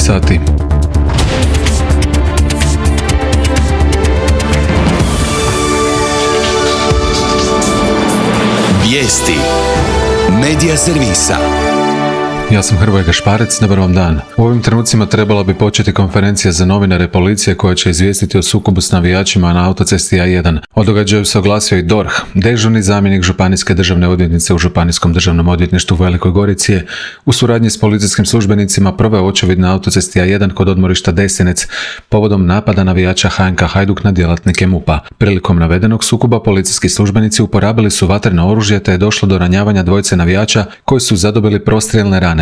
sati. Vijesti Medija servisa. Ja sam Hrvoje Gašparec, dobar vam dan. U ovim trenucima trebala bi početi konferencija za novinare policije koja će izvijestiti o sukobu s navijačima na autocesti A1. O događaju se oglasio i DORH. Dežurni zamjenik županijske državne odvjetnice u Županijskom državnom odvjetništvu u Velikoj Gorici je u suradnji s policijskim službenicima proveo očevid na autocesti A1 kod odmorišta Desinec povodom napada navijača HNK Hajduk na djelatnike MUP-a. Prilikom navedenog sukoba policijski službenici uporabili su vatreno oružje te je došlo do ranjavanja dvojice navijača koji su zadobili prostrijelne rane.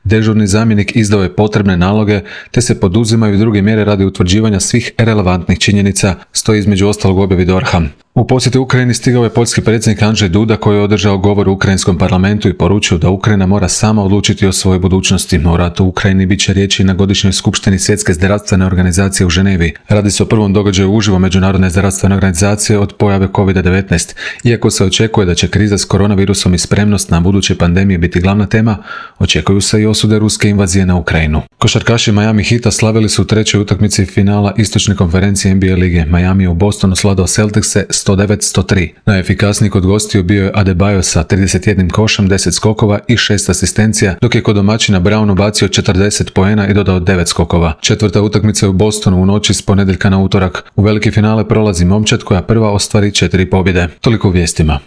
Dežurni zamjenik izdao je potrebne naloge te se poduzimaju druge mjere radi utvrđivanja svih relevantnih činjenica, stoji između ostalog u objavi DORH-a. U posjetu Ukrajini stigao je poljski predsjednik Andrzej Duda koji je održao govor u ukrajinskom parlamentu i poručio da Ukrajina mora sama odlučiti o svojoj budućnosti. O ratu u Ukrajini bit će riječi na godišnjoj skupštini Svjetske zdravstvene organizacije u Ženevi. Radi se o prvom događaju uživo Međunarodne zdravstvene organizacije od pojave COVID-19. Iako se očekuje da će kriza s koronavirusom i spremnost na buduće pandemije biti glavna tema, očekuju se i osude ruske invazije na Ukrajinu. Košarkaši Miami Heata slavili su u trećoj utakmici finala istočne konferencije NBA lige. Miami je u Bostonu sladao Celticse 109-103. Najefikasniji kod gostiju bio je Adebayo sa 31 košem, 10 skokova i 6 asistencija, dok je kod domaćina Brown ubacio 40 poena i dodao 9 skokova. Četvrta utakmica je u Bostonu u noći s ponedjeljka na utorak. U veliki finale prolazi momčad koja prva ostvari 4 pobjede. Toliko u vijestima.